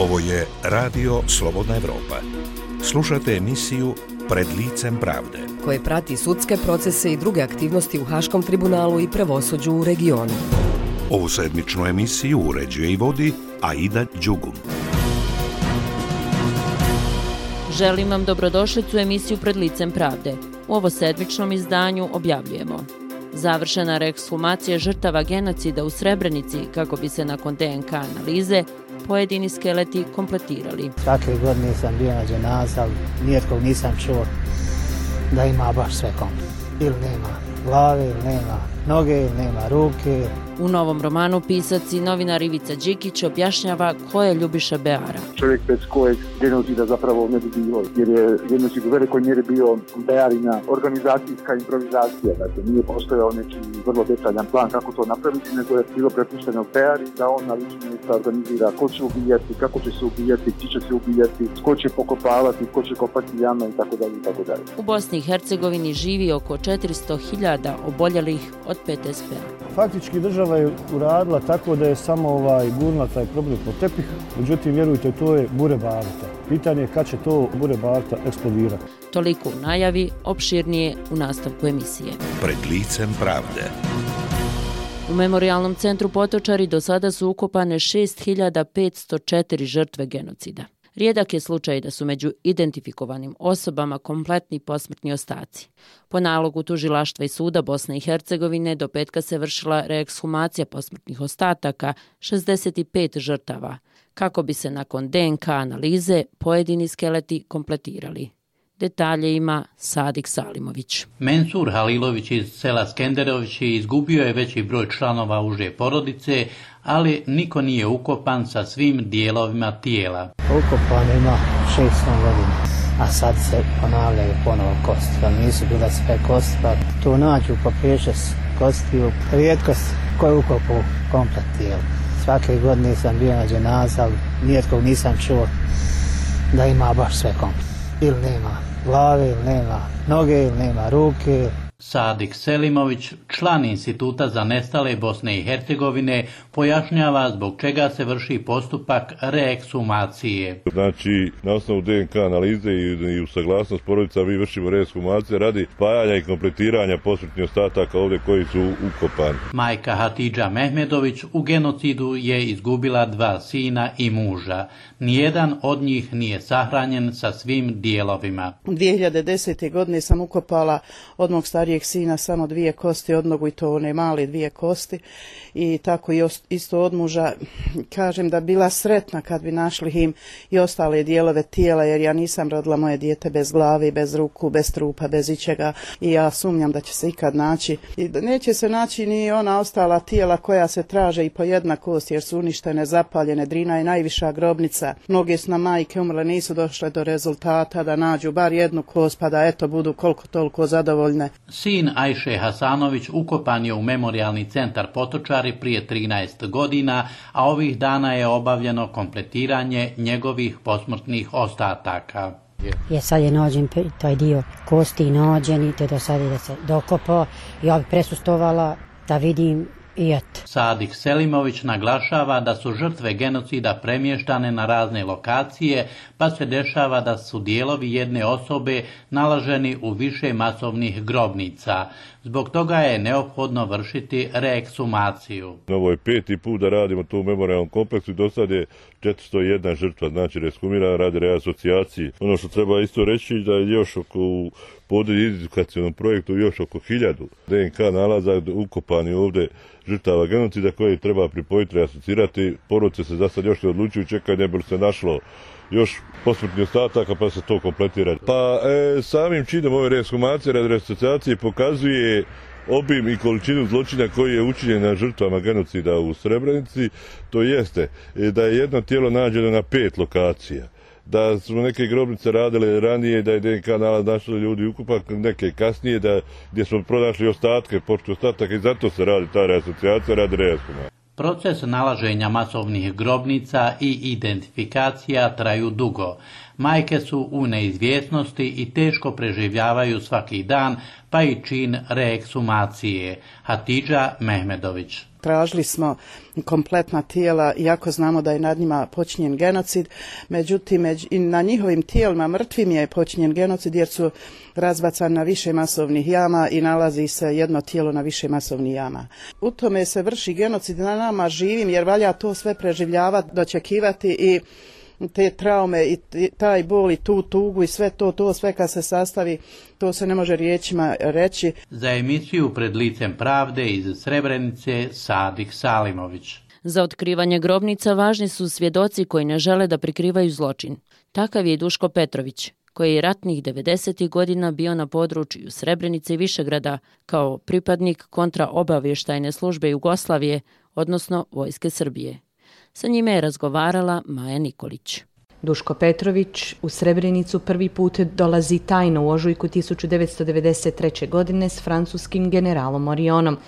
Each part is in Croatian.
Ovo je Radio Slobodna Evropa. Slušate emisiju Pred licem pravde, koje prati sudske procese i druge aktivnosti u Haškom tribunalu i pravosuđu u regionu. Ovu sedmičnu emisiju uređuje i vodi Aida Đugum. Želim vam dobrodošlicu u emisiju Pred licem pravde. U ovo sedmičnom izdanju objavljujemo: završena reekshumacija žrtava genocida u Srebrenici kako bi se nakon DNK analize pojedini skeleti kompletirali. Svake godine sam bio na dženazi, ali nijetkog nisam čuo da ima baš sve kompletno. Ili nema glave, ili nema noge, ili nema ruke. U novom romanu pisac i novinar Ivica Đikić objašnjava ko je Ljubiša Beara. Čovjek bez kojeg genocida zapravo ne bi bilo, jer je genocid u velikoj mjeri bio Bearina organizacijska improvizacija. Dakle, nije postojao neki vrlo detaljan plan kako to napraviti, nego je bilo prepušteno Beari da on na ličnom mjestu organizira ko će ubijati, kako će se ubijati, gdje će se ubijati, ko će pokopavati, ko će kopati jame itd. itd. U Bosni i Hercegovini živi oko 400.000 oboljelih od PTSP-a. Faktički država je uradila tako da je samo gurnula taj problem pod tepih, međutim, vjerujte, to je bure baruta. Pitanje je kad će to bure baruta eksplodirati. Toliko u najavi, opširnije u nastavku emisije. Pred licem pravde. U Memorijalnom centru Potočari do sada su ukopane 6.504 žrtve genocida. Rijedak je slučaj da su među identifikovanim osobama kompletni posmrtni ostaci. Po nalogu tužilaštva i suda Bosne i Hercegovine do petka se vršila reekshumacija posmrtnih ostataka 65 žrtava, kako bi se nakon DNK analize pojedini skeleti kompletirali. Detalje ima Sadik Salimović. Mensur Halilović iz sela Skenderovići izgubio je veći broj članova uže porodice, ali niko nije ukopan sa svim dijelovima tijela. Ukopan ima 600 godina, a sad se ponavljaju ponovo kosti, ali nisu bile sve kosti, pa tu nađu po 5-6 kostiju. Rijetkost koju ukopu komplet tijela. Svake godine sam bio na dženazi, ali nijetkog nisam čuo da ima baš sve komplet. Ili nema glave, ili nema noge, ili nema ruke. Sadik Selimović, član Instituta za nestale Bosne i Hercegovine, pojašnjava zbog čega se vrši postupak reekshumacije. Znači, na osnovu DNK analize i u saglasnost porodica mi vršimo reekshumacije radi spajanja i kompletiranja posmrtnih ostataka ovdje koji su ukopani. Majka Hatidža Mehmedović u genocidu je izgubila 2 sina i muža. Nijedan od njih nije sahranjen sa svim dijelovima. 2010. godine sam ukopala od mog starijeg sina samo 2 kosti od nogu, i to one male 2 kosti, i tako i isto od muža. Kažem da bila sretna kad bi našli im i ostale dijelove tijela, jer ja nisam rodila moje dijete bez glave, bez ruku, bez trupa, bez ičega, i ja sumnjam da će se ikad naći. I neće se naći ni ona ostala tijela koja se traže i po jedna kost, jer su uništene, zapaljene. Drina je najviša grobnica. Mnoge su nam majke umrle, nisu došle do rezultata da nađu bar jednu kost, pa da eto budu koliko toliko zadovoljne. Sin Ajše Hasanović ukopan je u Memorijalni centar Potočari prije 13 godina, a ovih dana je obavljeno kompletiranje njegovih posmrtnih ostataka. Sad je nađen taj dio kosti nađen i te do sada da se dokopao. Ja bi presustovala da vidim i eto. Sadik Selimović naglašava da su žrtve genocida premještane na razne lokacije, pa se dešava da su dijelovi jedne osobe nalaženi u više masovnih grobnica. Zbog toga je neophodno vršiti reekshumaciju. Ovo je 5. put da radimo to u memorijalnom kompleksu i do sad je 401 žrtva, znači reekshumirana radi reasocijacije. Ono što treba isto reći da je još u edukacionom projektu još oko 1000 DNK nalaza ukopani ovdje žrtava genocida koje treba pripojiti, reasocirati. Porodice se za sad još ne odlučuju, čekaju ne bi se našlo još posmrtnih ostataka pa se to kompletira. Pa samim činom ove reekshumacije radi reasocijacije pokazuje obim i količinu zločina koji je učinjen na žrtvama genocida u Srebrenici. To jeste da je jedno tijelo nađeno na 5 lokacija, da su neke grobnice radile ranije, da je DNK nalaz našli ljudi ukupan, neke kasnije, gdje smo pronašli ostatke, počtu ostataka, i zato se radi ta reasocijacija, radi reekshumacije. Proces nalaženja masovnih grobnica i identifikacija traju dugo. Majke su u neizvjesnosti i teško preživljavaju svaki dan, pa i čin reeksumacije. Hatidža Mehmedović. Tražili smo kompletna tijela, iako znamo da je nad njima počinjen genocid, međutim i na njihovim tijelima mrtvim je počinjen genocid jer su razbacani na više masovnih jama i nalazi se jedno tijelo na više masovnih jama. U tome se vrši genocid na nama živim jer valja to sve preživljavati, dočekivati i te traume i taj bol i tu tugu i sve to sve kad se sastavi, to se ne može riječima reći. Za emisiju Pred licem pravde iz Srebrenice Sadik Salimović. Za otkrivanje grobnica važni su svjedoci koji ne žele da prikrivaju zločin. Takav je i Duško Petrović, koji je ratnih 90. godina bio na području Srebrenice i Višegrada kao pripadnik kontraobavještajne službe Jugoslavije, odnosno Vojske Srbije. Sa njime je razgovarala Maja Nikolić. Duško Petrović u Srebrenicu prvi put dolazi tajno u ožujku 1993. godine s francuskim generalom Orionom,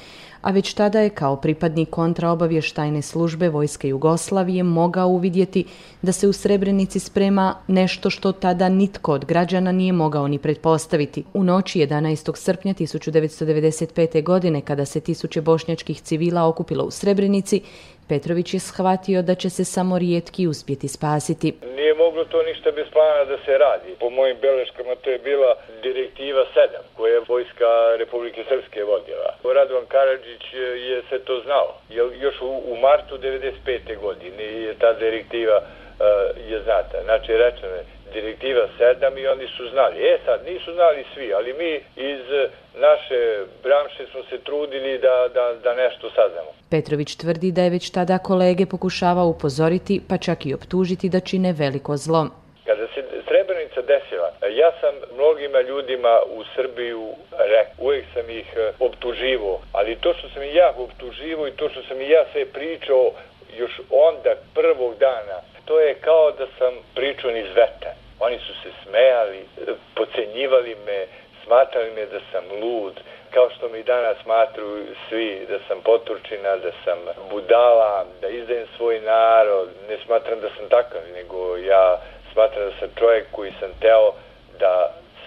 a već tada je kao pripadnik kontraobavještajne službe Vojske Jugoslavije mogao uvidjeti da se u Srebrenici sprema nešto što tada nitko od građana nije mogao ni pretpostaviti. U noći 11. srpnja 1995. godine, kada se tisuće bošnjačkih civila okupilo u Srebrenici, Petrović je shvatio da će se samo rijetki uspjeti spasiti. Nije moglo to ništa bez plana da se radi. Po mojim beleškama to je bila direktiva 7 koje je Vojska Republike Srpske vodila. Radovan Karadžić je sve to znao. Još u martu 95. godine je ta direktiva je znata. Znači rečeno je direktiva 7 i oni su znali. Sad nisu znali svi, ali mi iz naše branše smo se trudili da nešto saznamo. Petrović tvrdi da je već tada kolege pokušavao upozoriti, pa čak i optužiti da čine veliko zlo. Kada se Srebrenica desila, ja sam mnogima ljudima u Srbiju rekao, uvijek sam ih optuživao, ali to što sam i ja optuživao i to što sam i ja sve pričao još onda prvog dana, to je kao da sam pričao niz vetar. Oni su se smejali, podcenjivali me, smatrali me da sam lud, kao što mi danas smatruju svi da sam poturčina, da sam budala, da izdajem svoj narod. Ne smatram da sam takav, nego ja smatram da sam čovjek koji sam teo da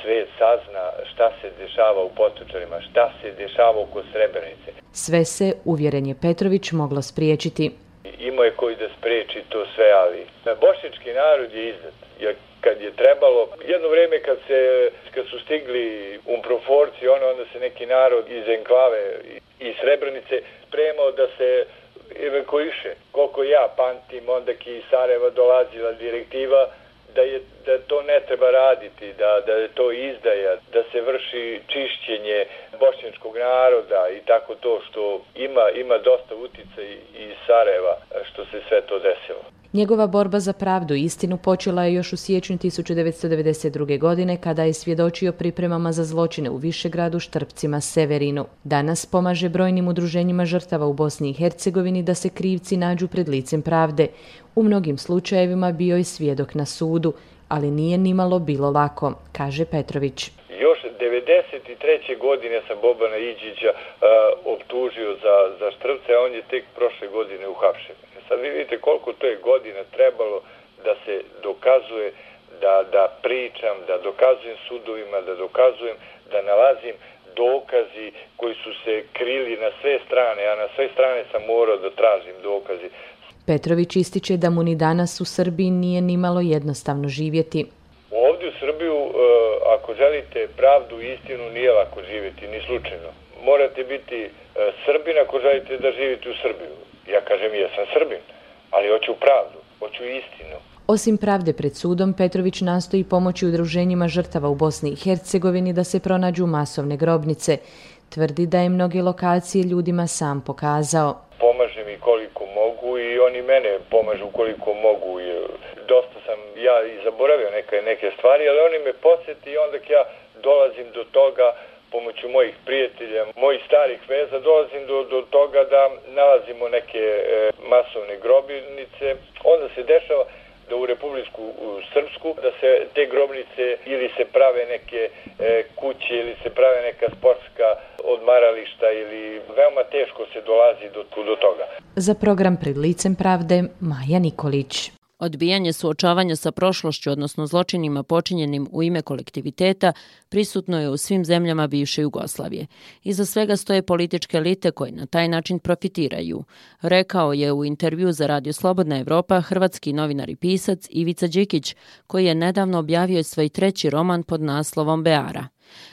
svijet sazna šta se dešava u Potočarima, šta se dešava oko Srebrenice. Sve se, uvjeren je Petrović, moglo spriječiti. Imao je koji da spriječi to sve, ali bošnjački narod je izdat. Kad je trebalo, jedno vrijeme kad su stigli umproforci, onda se neki narod iz enklave i Srebrenice spremao da se evakuiše. Koliko ja pamtim, onda ki iz Sarajeva dolazila direktiva da to ne treba raditi, da je to izdaja, da se vrši čišćenje bošnjačkog naroda i tako to što ima dosta utjecaj iz Sarajeva što se sve to desilo. Njegova borba za pravdu i istinu počela je još u siječnju 1992. godine kada je svjedočio pripremama za zločine u Višegradu, Štrpcima, Severinu. Danas pomaže brojnim udruženjima žrtava u Bosni i Hercegovini da se krivci nađu pred licem pravde. U mnogim slučajevima bio je svjedok na sudu, ali nije nimalo bilo lako, kaže Petrović. Još 1993. godine sam Bobana Iđića optužio za Štrpce, a on je tek prošle godine uhapšen. Sad vi vidite koliko to je godina trebalo da se dokazuje, da pričam, da dokazujem sudovima, da dokazujem, da nalazim dokazi koji su se krili na sve strane, a na sve strane sam morao da tražim dokazi. Petrović ističe da mu ni danas u Srbiji nije nimalo jednostavno živjeti. Ovdje u Srbiju, ako želite pravdu i istinu, nije lako živjeti, ni slučajno. Morate biti Srbin ako želite da živite u Srbiju. Ja kažem, ja sam Srbin, ali hoću pravdu, hoću istinu. Osim pravde pred sudom, Petrović nastoji pomoći udruženjima žrtava u Bosni i Hercegovini da se pronađu masovne grobnice. Tvrdi da je mnoge lokacije ljudima sam pokazao. Pomažem i koliko mogu i oni mene pomažu koliko mogu. Dosta sam ja i zaboravio neke stvari, ali oni me podsjeti i onda ja dolazim do toga pomoću mojih prijatelja, mojih starih veza, dolazim do toga da nalazimo neke masovne grobnice. Onda se dešava da u Republiku Srpsku, da se te grobnice ili se prave neke kuće ili se prave neka sportska odmarališta ili veoma teško se dolazi do toga. Za program Pred licem pravde, Maja Nikolić. Odbijanje suočavanja sa prošlošću, odnosno zločinima počinjenim u ime kolektiviteta, prisutno je u svim zemljama bivše Jugoslavije. Iza svega stoje političke elite koje na taj način profitiraju, rekao je u intervju za Radio Slobodna Evropa hrvatski novinar i pisac Ivica Đikić, koji je nedavno objavio svoj 3. roman pod naslovom Beara.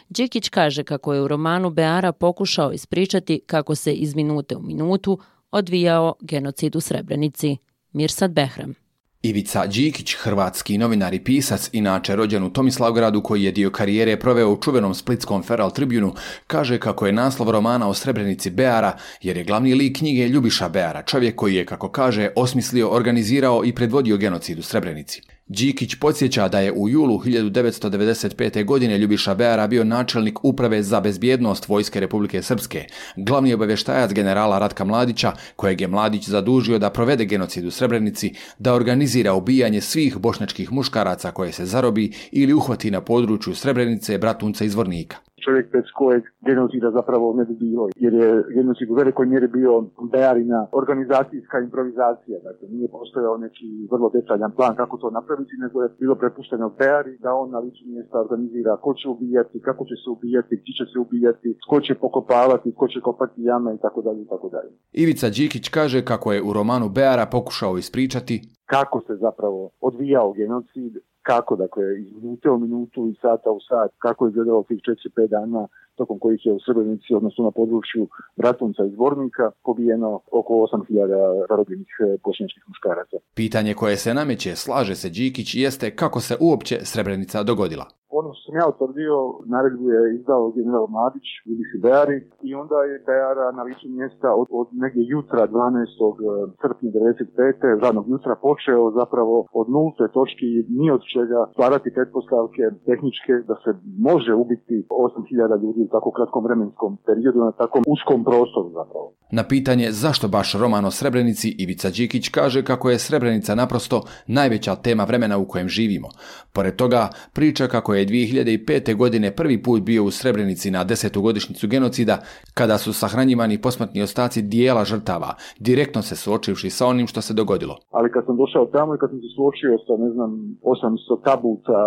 Đikić kaže kako je u romanu Beara pokušao ispričati kako se iz minute u minutu odvijao genocid u Srebrenici. Mirsad Behram. Ivica Đikić, hrvatski novinar i pisac, inače rođen u Tomislavgradu koji je dio karijere proveo u čuvenom splitskom Feral Tribunu, kaže kako je naslov romana o Srebrenici Beara, jer je glavni lik knjige Ljubiša Beara, čovjek koji je, kako kaže, osmislio, organizirao i predvodio genocid u Srebrenici. Đikić podsjeća da je u julu 1995. godine Ljubiša Beara bio načelnik Uprave za bezbjednost Vojske Republike Srpske, glavni obavještajac generala Ratka Mladića, kojeg je Mladić zadužio da provede genocid u Srebrenici, da organizira ubijanje svih bošnjačkih muškaraca koje se zarobi ili uhvati na području Srebrenice, Bratunca i Zvornika. Čovjek bez kojeg genocida zapravo ne bi bilo, jer je genocid u velikoj mjeri bio Bearina organizacijska improvizacija. Dakle, nije postojao neki vrlo detaljan plan kako to napraviti, nego je bilo prepušteno Beari da on na licu mjesta organizira ko će ubijati, kako će se ubijati, gdje će se ubijati, ko će pokopavati, ko će kopati jame i tako dalje i tako dalje. Ivica Đikić kaže kako je u romanu Beara pokušao ispričati kako se zapravo odvijao genocid, kako, dakle, iz minute u minutu i sata u sat, kako je izgledalo tih 4-5 dana tokom kojih je u Srebrenici, odnosno na području Bratunca i Zvornika, pobijeno oko 8.000 zarobljenih bošnjačkih muškaraca. Pitanje koje se nameće, slaže se Đikić, jeste kako se uopće Srebrenica dogodila. Ono što sam ja utvrdio, naredbu je izdao general Mladić, Ljubiši Beari, i onda je Beara na licu mjesta od negdje jutra 12. srpnja 1995. radnog jutra počeo zapravo od nulte točki, ni od čega stvarati pretpostavke tehničke da se može ubiti 8.000 ljudi u tako kratkom vremenskom periodu na takvom uskom prostoru zapravo. Na pitanje zašto baš roman o Srebrenici, Ivica Đikić kaže kako je Srebrenica naprosto najveća tema vremena u kojem živimo. Pored toga priča kako je 2005. godine prvi put bio u Srebrenici na 10. godišnjicu genocida, kada su sahranjivani posmrtni ostaci dijela žrtava, direktno se suočivši sa onim što se dogodilo. Ali kad sam došao tamo i kad sam se suočio sa, 800 tabuca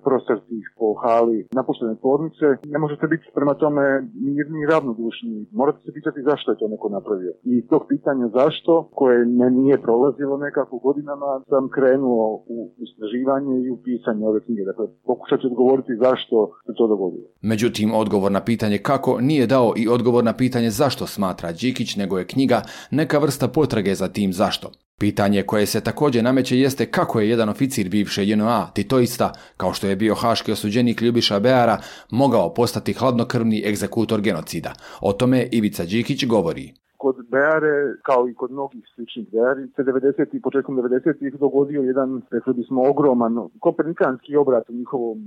prostrtih po hali napuštene tvornice, ne možete biti prema tome mirni i ravnodušni. Morate se pitati zašto je to neko napravio. I tog pitanja zašto, koje me nije prolazilo nekako godinama, sam krenuo u istraživanje i u pisanje ove knjige. Dakle, pokušat ću odgovoriti zašto se to dogodilo. Međutim, odgovor na pitanje kako nije dao i odgovor na pitanje zašto smatra Đikić, nego je knjiga neka vrsta potrage za tim zašto. Pitanje koje se također nameće jeste kako je jedan oficir bivše JNA, titoista, kao što je bio haški osuđenik Ljubiša Beara, mogao postati hladnokrvni egzekutor genocida. O tome Ivica Đikić govori. Kod Beare, kao i kod mnogih sličnih Beari, se 90. i početkom 90. dogodio jedan, rekli bismo, ogroman kopernikanski obrat u njihovom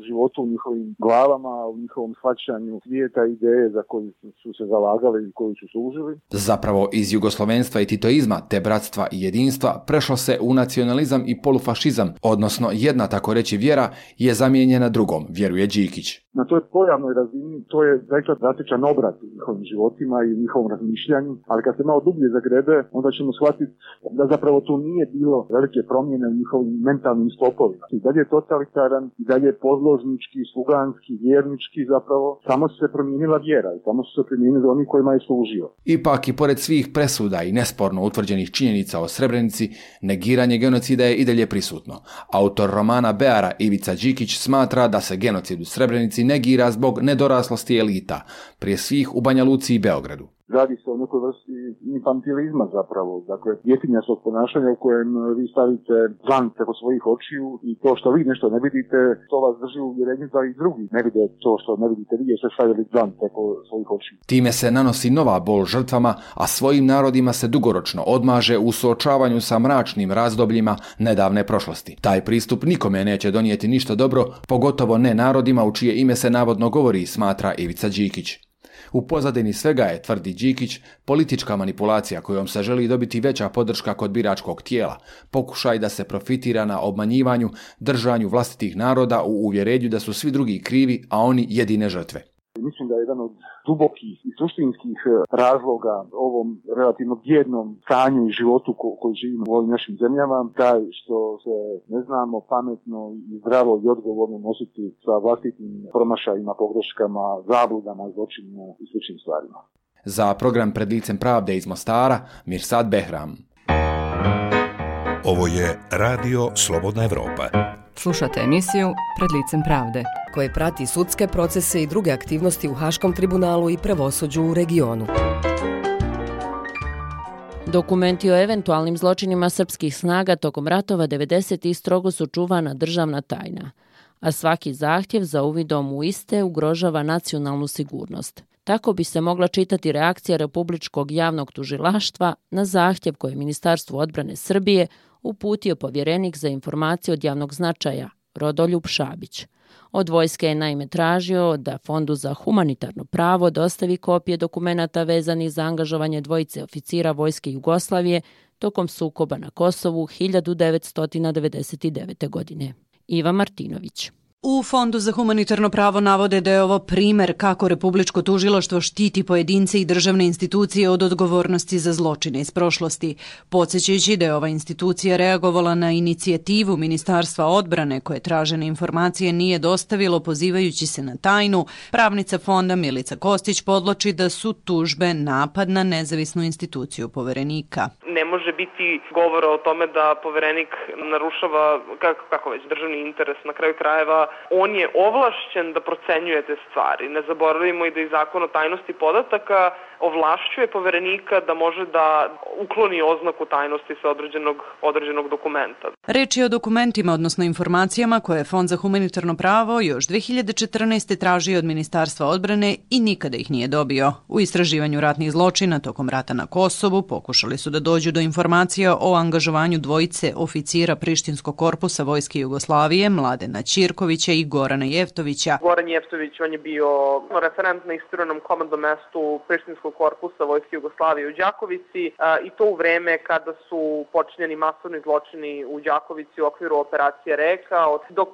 životu, u njihovim glavama, u njihovom shvaćanju svijeta, ideje za koju su se zalagali i koju su služili. Zapravo iz jugoslovenstva i titoizma, te bratstva i jedinstva, prešlo se u nacionalizam i polufašizam, odnosno jedna, tako reći, vjera je zamijenjena drugom, vjeruje Đikić. Na toj pojavnoj razini to je zaista drastičan obrat u njihovim životima i u njihovom razmišljanju, ali kad se malo dublje zagrebe, onda ćemo shvatiti da zapravo tu nije bilo velike promjene u njihovim mentalnim sklopovima. I dalje je totalitaran, i dalje je podložnički, sluganski, vjernički zapravo, samo se promijenila vjera i samo su se promijenili oni kojima je služio. Ipak i pored svih presuda i nesporno utvrđenih činjenica o Srebrenici, negiranje genocida je i dalje prisutno. Autor romana Beara Ivica Đikić smatra da se genocid u Srebrenici negira zbog nedoraslosti elita, prije svih u Banja Luci i Beogradu. Radi se o nekoj vrsti infantilizma zapravo, dakle djetinjačkog ponašanja u kojem vi stavite dlan preko svojih očiju i to što vi nešto ne vidite, to vas drži u uvjerenju da i drugi ne vide to što ne vidite vi, jer ste stavili dlan preko svojih očiju. Time se nanosi nova bol žrtvama, a svojim narodima se dugoročno odmaže u suočavanju sa mračnim razdobljima nedavne prošlosti. Taj pristup nikome neće donijeti ništa dobro, pogotovo ne narodima u čije ime se navodno govori, smatra Ivica Đikić. U pozadini svega je, tvrdi Đikić, politička manipulacija kojom se želi dobiti veća podrška kod biračkog tijela, pokušaj da se profitira na obmanjivanju, držanju vlastitih naroda u uvjerenju da su svi drugi krivi, a oni jedine žrtve. Mislim da je jedan od dubokih i suštinskih razloga ovom relativno bijednom stanju i životu koji živimo u ovim našim zemljama, taj što se ne znamo pametno i zdravo i odgovorno nositi sa vlastitim promašajima, pogreškama, zabludama, zločinima i sličnim stvarima. Za program Pred licem pravde iz Mostara, Mirsad Behram. Ovo je Radio Slobodna Evropa. Slušate emisiju Pred licem pravde, koje prati sudske procese i druge aktivnosti u Haškom tribunalu i pravosuđu u regionu. Dokumenti o eventualnim zločinima srpskih snaga tokom ratova 90. strogo su čuvana državna tajna, a svaki zahtjev za uvidom u iste ugrožava nacionalnu sigurnost. Tako bi se mogla čitati reakcija Republičkog javnog tužilaštva na zahtjev koje je Ministarstvu odbrane Srbije uputio povjerenik za informacije od javnog značaja, Rodoljub Šabić. Od vojske je naime tražio da Fondu za humanitarno pravo dostavi kopije dokumenata vezanih za angažovanje dvojice oficira vojske Jugoslavije tokom sukoba na Kosovu 1999. godine. Iva Martinović. U Fondu za humanitarno pravo navode da je ovo primer kako Republičko tužilaštvo štiti pojedince i državne institucije od odgovornosti za zločine iz prošlosti, podsjećajući da je ova institucija reagovala na inicijativu Ministarstva odbrane koje tražene informacije nije dostavilo pozivajući se na tajnu. Pravnica fonda Milica Kostić podloči da su tužbe napad na nezavisnu instituciju poverenika. Ne može biti govora o tome da poverenik narušava kako već državni interes. Na kraju krajeva on je ovlašćen da procenjuje te stvari. Ne zaboravimo i da i Zakon o tajnosti podataka ovlašćuje poverenika da može da ukloni oznaku tajnosti sa određenog dokumenta. Reč je o dokumentima, odnosno informacijama koje je Fond za humanitarno pravo još 2014. tražio od Ministarstva odbrane i nikada ih nije dobio. U istraživanju ratnih zločina tokom rata na Kosovu pokušali su da dođu do informacija o angažovanju dvojice oficira Prištinskog korpusa Vojske Jugoslavije, Mladena Ćirkovića i Gorana Jeftovića. Goran Jeftović, on je bio referent na isturenom komandnom mestu Prištinskog korpusa Vojske Jugoslavije u Đakovici i to u vreme kada su počinjeni masovni zločini u Đakovici u okviru operacije Reka, dok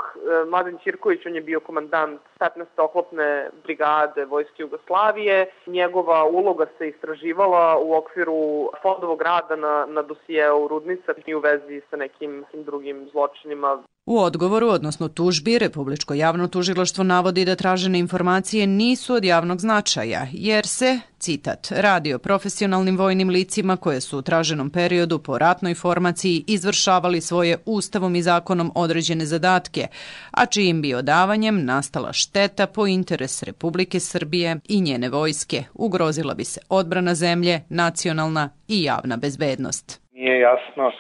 Mladen Ćirković, on je bio komandant 15. oklopne brigade Vojske Jugoslavije. Njegova uloga se istraživala u okviru fondovog rada na dosijeu Rudnica i u vezi sa nekim drugim zločinima. U odgovoru, odnosno tužbi, Republičko javno tužilaštvo navodi da tražene informacije nisu od javnog značaja, jer se, citat, radi o profesionalnim vojnim licima koje su u traženom periodu po ratnoj formaciji izvršavali svoje ustavom i zakonom određene zadatke, a čijim bi odavanjem nastala šteta po interes Republike Srbije i njene vojske. Ugrozila bi se odbrana zemlje, nacionalna i javna bezbednost. Nije jasno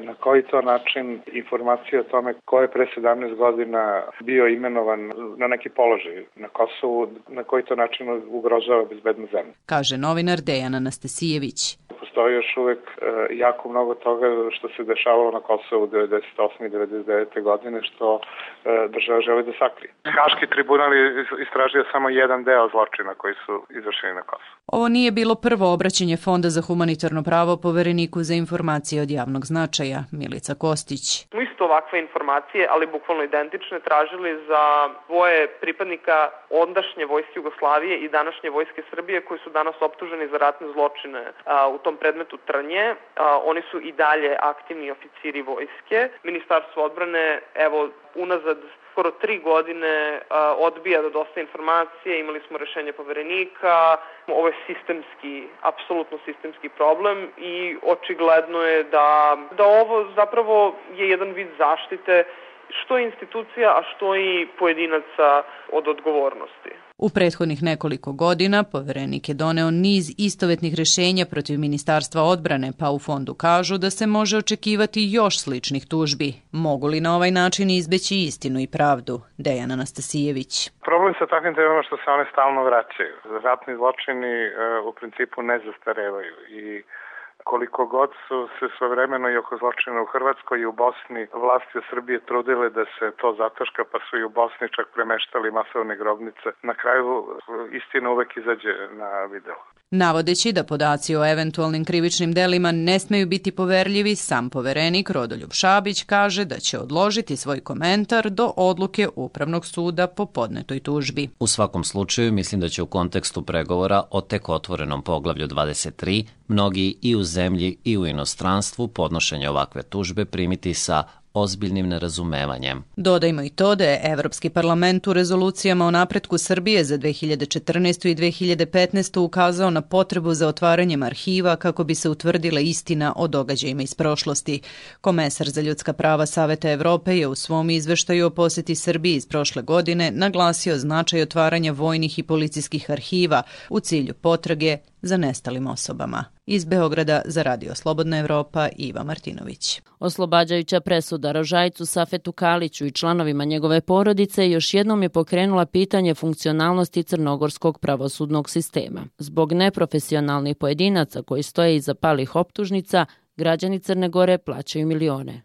na koji to način informacije o tome ko je pre 17 godina bio imenovan na neki položaj na Kosovu, na koji to način ugrožava bezbednost zemlje. Kaže novinar Dejan Anastasijević. Postoji još uvek jako mnogo toga što se dešavalo na Kosovu 98. i 99. godine što država želi da sakrije. Haški tribunal je istražio samo jedan deo zločina koji su izvršeni na Kosovu. Ovo nije bilo prvo obraćanje Fonda za humanitarno pravo povereniku za informacije od javnog značaja, Milica Kostić. Isto ovakve informacije, ali bukvalno identične, tražili za dvoje pripadnika ondašnje Vojske Jugoslavije i današnje Vojske Srbije koji su danas optuženi za ratne zločine u tom predmetu Trnje. Oni su i dalje aktivni oficiri vojske. Ministarstvo odbrane, evo, unazad skoro 3 godine odbija da dostavi informacije, imali smo rešenje poverenika, ovo je sistemski, apsolutno sistemski problem i očigledno je da ovo zapravo je jedan vid zaštite što institucija, a što i pojedinaca od odgovornosti. U prethodnih nekoliko godina poverenik je doneo niz istovetnih rešenja protiv Ministarstva odbrane, pa u fondu kažu da se može očekivati još sličnih tužbi. Mogu li na ovaj način izbeći istinu i pravdu? Dejan Anastasijević. Problem sa takvim temama što se one stalno vraćaju. Ratni zločini u principu ne zastarevaju i koliko god su se svojevremeno i oko zločina u Hrvatskoj i u Bosni vlasti u Srbije trudile da se to zataška, pa su i u Bosni čak premeštali masovne grobnice. Na kraju istina uvek izađe na video. Navodeći da podaci o eventualnim krivičnim delima ne smeju biti poverljivi, sam poverenik Rodoljub Šabić kaže da će odložiti svoj komentar do odluke Upravnog suda po podnetoj tužbi. U svakom slučaju mislim da će u kontekstu pregovora o tek otvorenom poglavlju 23 mnogi i u zemlji i u inostranstvu podnošenje ovakve tužbe primiti sa ozbiljnim nerazumevanjem. Dodajmo i to da je Evropski parlament u rezolucijama o napretku Srbije za 2014. i 2015. ukazao na potrebu za otvaranjem arhiva kako bi se utvrdila istina o događajima iz prošlosti. Komesar za ljudska prava Saveta Evrope je u svom izveštaju o poseti Srbiji iz prošle godine naglasio značaj otvaranja vojnih i policijskih arhiva u cilju potrage za nestalim osobama. Iz Beograda za Radio Slobodna Evropa, Iva Martinović. Oslobađajuća presuda Rožajcu Safetu Kaliću i članovima njegove porodice još jednom je pokrenula pitanje funkcionalnosti crnogorskog pravosudnog sistema. Zbog neprofesionalnih pojedinaca koji stoje iza palih optužnica, građani Crne Gore plaćaju milione.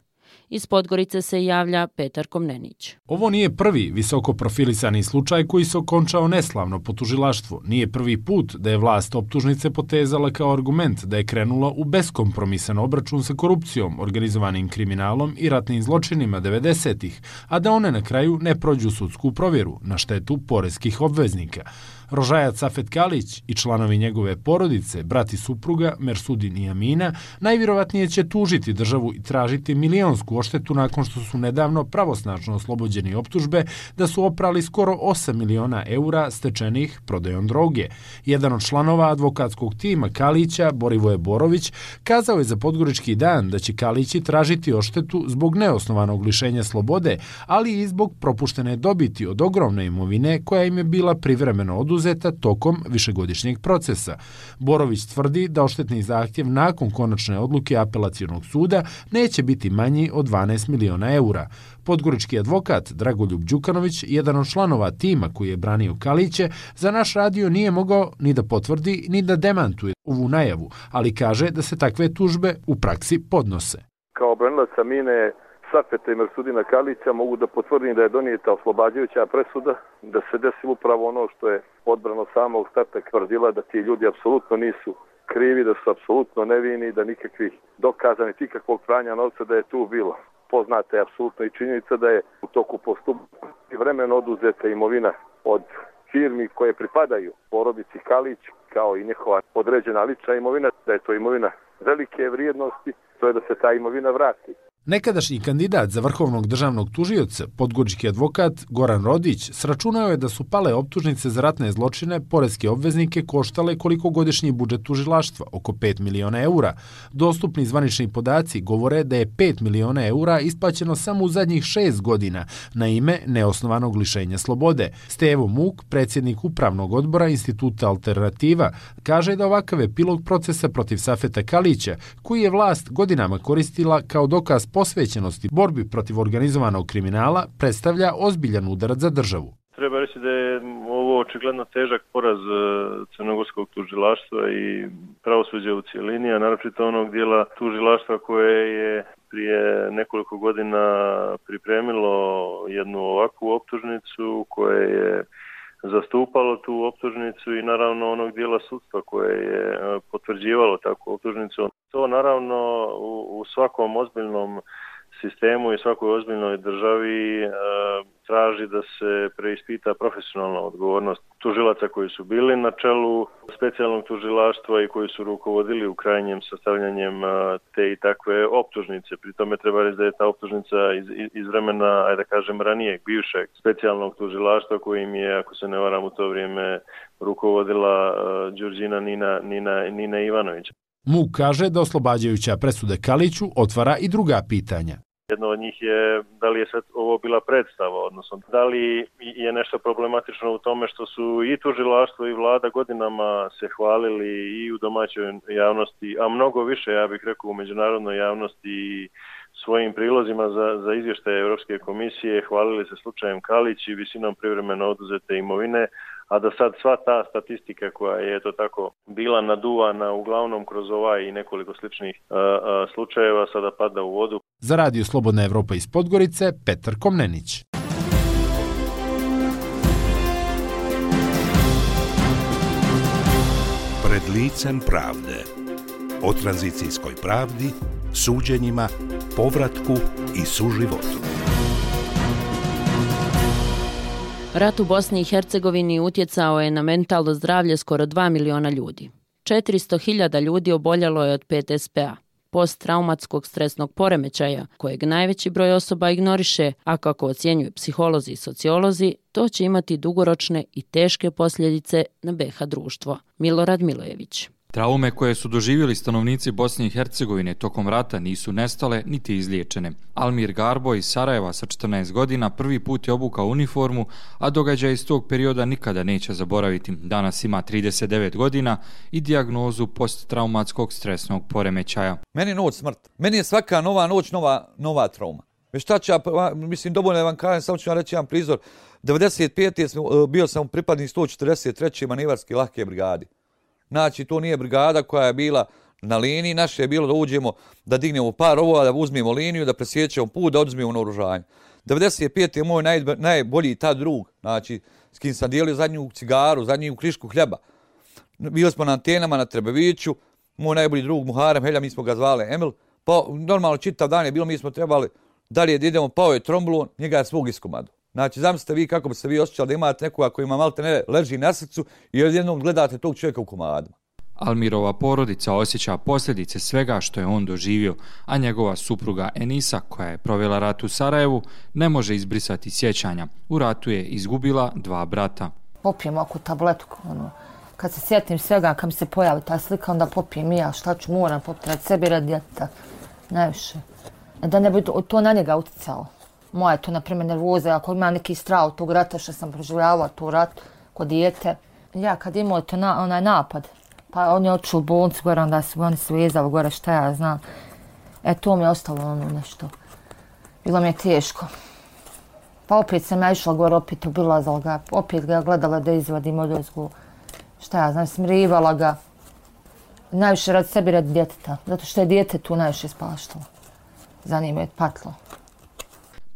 Iz Podgorice se javlja Petar Komnenić. Ovo nije prvi visoko profilisani slučaj koji se okončao neslavno po tužilaštvu. Nije prvi put da je vlast optužnice potezala kao argument da je krenula u beskompromisan obračun sa korupcijom, organizovanim kriminalom i ratnim zločinima 90-ih, a da one na kraju ne prođu sudsku provjeru na štetu poreskih obveznika. Rožajac Safet Kalić i članovi njegove porodice, brat i supruga Mersudin i Amina, najvjerovatnije će tužiti državu i tražiti milionsku odštetu nakon što su nedavno pravosnažno oslobođeni optužbe da su oprali skoro 8 miliona eura stečenih prodajom droge. Jedan od članova advokatskog tima Kalića, Borivoje Borović, kazao je za Podgorički dan da će Kalići tražiti odštetu zbog neosnovanog lišenja slobode, ali i zbog propuštene dobiti od ogromne imovine koja im je bila privremeno oduzeta tokom višegodišnjeg procesa. Borović tvrdi da odštetni zahtjev nakon konačne odluke apelacionog suda neće biti manji od 12 miliona eura. Podgorički advokat Dragoljub Đukanović, jedan od članova tima koji je branio Kaliće, za naš radio nije mogao ni da potvrdi ni da demantuje ovu najavu, ali kaže da se takve tužbe u praksi podnose. Kao branilac Amine, Safeta i Mersudina Kalića mogu da potvrdim da je donijeta oslobađajuća presuda, da se desilo upravo ono što je odbrana samog starta tvrdila, da ti ljudi apsolutno nisu krivi, da su apsolutno nevini, da nikakvih dokaza niti ikakvog pranja novca da je tu bilo. Poznata je apsolutno i činjenica da je u toku postupka vremeno oduzeta imovina od firmi koje pripadaju porodici Kalić, kao i njihova određena lična imovina, da je to imovina velike vrijednosti, to je da se ta imovina vrati. Nekadašnji kandidat za vrhovnog državnog tužioca, podgorički advokat Goran Rodić, sračunao je da su pale optužnice za ratne zločine poreske obveznike koštale koliko godišnji budžet tužilaštva, oko 5 miliona eura. Dostupni zvanični podaci govore da je 5 miliona eura isplaćeno samo u zadnjih 6 godina na ime neosnovanog lišenja slobode. Stevo Muk, predsjednik upravnog odbora Instituta Alternativa, kaže da ovakav epilog procesa protiv Safeta Kalića, koji je vlast godinama koristila kao dokaz posvećenosti borbi protiv organizovanog kriminala, predstavlja ozbiljan udarac za državu. Treba reći da je ovo očigledno težak poraz crnogorskog tužilaštva i pravosuđa u cijelini, a naročito onog dijela tužilaštva koje je prije nekoliko godina pripremilo jednu ovakvu optužnicu, koje je zastupalo tu optužnicu i naravno onog dijela sudstva koje je potvrđivalo takvu optužnicu. To naravno u svakom ozbiljnom sistemu i svakoj ozbiljnoj državi traži da se preispita profesionalna odgovornost tužilaca koji su bili na čelu specijalnog tužilaštva i koji su rukovodili u krajnjem sastavljanjem te i takve optužnice. Pri tome treba reći da je ta optužnica iz vremena, ajde da kažem, ranijeg, bivšeg specijalnog tužilaštva kojim je, ako se ne varam, u to vrijeme rukovodila Đurđina Nina Ivanović. Muk kaže da oslobađajuća presuda Kaliću otvara i druga pitanja. Jedno od njih je da li je sad ovo bila predstava, odnosno da li je nešto problematično u tome što su i tužilaštvo i vlada godinama se hvalili i u domaćoj javnosti, a mnogo više, ja bih rekao, u međunarodnoj javnosti i svojim prilozima za izvještaje Europske komisije hvalili se slučajem Kalić i visinom privremeno oduzete imovine, a da sad sva ta statistika koja je to tako bila naduvana uglavnom kroz ovaj i nekoliko sličnih slučajeva sada pada u vodu. Za Radio Slobodna Evropa iz Podgorice, Petar Komnenić. Pred licem pravde. O tranzicijskoj pravdi, suđenjima, povratku i suživotu. Rat u Bosni i Hercegovini utjecao je na mentalno zdravlje skoro 2 miliona ljudi. 400.000 ljudi oboljelo je od PTSP-a, posttraumatskog stresnog poremećaja, kojeg najveći broj osoba ignoriše, a kako ocjenjuju psiholozi i sociolozi, to će imati dugoročne i teške posljedice na BiH društvo. Milorad Milojević. Traume koje su doživjeli stanovnici Bosne i Hercegovine tokom rata nisu nestale niti izliječene. Almir Garbo iz Sarajeva sa 14 godina prvi put je obukao uniformu, a događaj iz tog perioda nikada neće zaboraviti. Danas ima 39 godina i dijagnozu posttraumatskog stresnog poremećaja. Meni je noć smrt. Meni je svaka nova noć nova trauma. Šta ću ja, mislim, dovoljno je vam kažem, samo ću vam reći jedan prizor. 95. bio sam pripadnik 143. manevarske lahke brigade. Znači, to nije brigada koja je bila na liniji, naše je bilo da uđemo, da dignemo par ovova, da uzmemo liniju, da presjećemo put, da oduzmemo naoružanje. 95. je moj najbolji tad drug, znači, s kim sam dijelio zadnju cigaru, zadnju krišku hljeba. Bili smo na antenama na Trebeviću, moj najbolji drug Muharem Helja, mi smo ga zvali Emil, pa normalno čitav dan je bilo, mi smo trebali dalje da idemo, pao je tromblon, njega je svog iskomadu. Znači, zamislite vi kako bi se vi osjećali da imate nekoga koji ima malte ne leži na srcu i jednom gledate tog čovjeka u komadima. Almirova porodica osjeća posljedice svega što je on doživio, a njegova supruga Enisa, koja je provela rat u Sarajevu, ne može izbrisati sjećanja. U ratu je izgubila 2 brata. Popijem oko tabletku, kad se sjetim svega, kad mi se pojavi ta slika, onda popijem i ja, šta ću, moram popiti radi sebi, radi djeteta, najviše. Da ne bi to na njega utjecalo. Moja je to, na primjer, nervoza, ako ima neki strah od tog rata što sam proživljavala, to rat kod dijete. Ja kad imao to onaj napad, pa on je otišao u bolnicu gore, onda su oni svezali gore, šta ja znam. To mi je ostalo nešto. Bilo mi je teško. Pa opet sam ja išla gore, opet obilazala ga, opet ga gledala da izvadim odozgo. Šta ja znam, smirivala ga. Najviše radi sebi, radi djeteta, zato što je dijete tu najviše spaštalo. Za njim je patlo.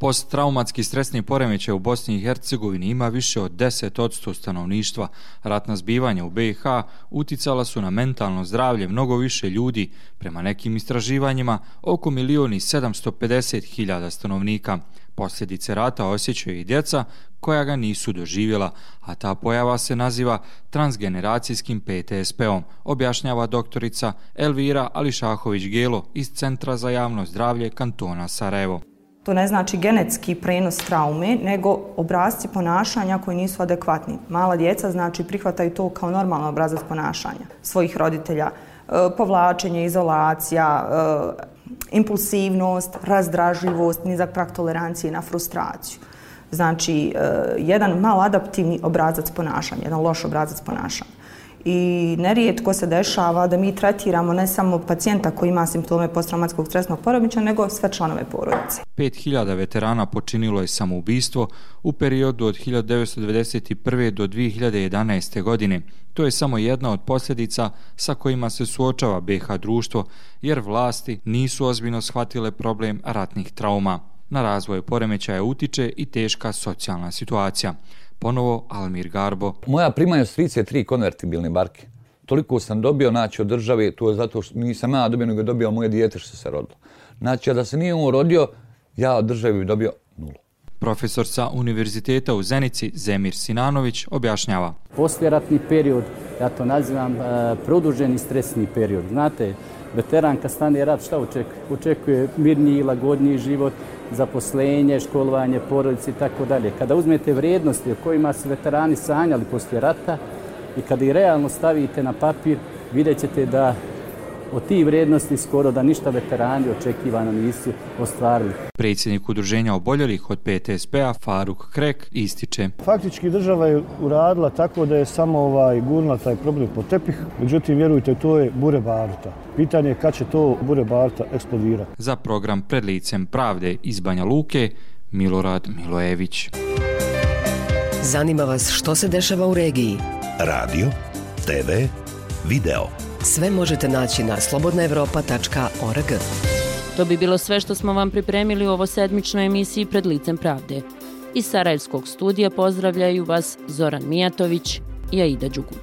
Posttraumatski stresni poremećaj u Bosni i Hercegovini ima više od 10% stanovništva. Ratna zbivanja u BiH uticala su na mentalno zdravlje mnogo više ljudi, prema nekim istraživanjima oko 1.750.000 stanovnika. Posljedice rata osjećaju i djeca koja ga nisu doživjela, a ta pojava se naziva transgeneracijskim PTSP-om, objašnjava doktorica Elvira Ališahović-Gelo iz Centra za javno zdravlje kantona Sarajevo. To ne znači genetski prenos traume, nego obrasci ponašanja koji nisu adekvatni. Mala djeca znači prihvataju to kao normalan obrazac ponašanja svojih roditelja. Povlačenje, izolacija, impulsivnost, razdražljivost, nizak prag tolerancije na frustraciju. Znači, jedan maladaptivni obrazac ponašanja, jedan loš obrazac ponašanja. I nerijetko se dešava da mi tretiramo ne samo pacijenta koji ima simptome posttraumatskog stresnog poremećaja, nego sve članove porodice. 5.000 veterana počinilo je samoubistvo u periodu od 1991. do 2011. godine. To je samo jedna od posljedica sa kojima se suočava BiH društvo, jer vlasti nisu ozbiljno shvatile problem ratnih trauma. Na razvoj poremećaja utiče i teška socijalna situacija. Ponovo Almir Garbo. Moja primanja strica je 3 konvertibilne barke. Toliko sam dobio, znači, od države, to je zato što nisam ja dobio, nego je dobio moje dijete što se rodilo. Znači, a da se nije on rodio, ja od države bi dobio 0. Profesor sa Univerziteta u Zenici, Zemir Sinanović, objašnjava. Posljeratni period, ja to nazivam produženi stresni period. Znate, veteran kad stane rat, šta očekuje? Očekuje mirniji, lagodniji život, zaposlenje, školovanje, porodice i tako dalje. Kada uzmete vrijednosti o kojima su veterani sanjali poslije rata i kada ih realno stavite na papir, vidjet ćete da od tih vrijednosti skoro da ništa veterani očekivano nisu ostvarili. Predsjednik udruženja oboljelih od PTSP-a Faruk Krek ističe. Faktički država je uradila tako da je samo gurnula taj problem pod tepih, međutim vjerujte to je bure baruta. Pitanje je kad će to bure baruta eksplodirati. Za program Pred licem pravde iz Banja Luke, Milorad Milojević. Zanima vas što se dešava u regiji? Radio, TV, video. Sve možete naći na slobodnaevropa.org. To bi bilo sve što smo vam pripremili u ovo sedmičnoj emisiji Pred licem pravde. Iz Sarajevskog studija pozdravljaju vas Zoran Mijatović i Aida Đugu.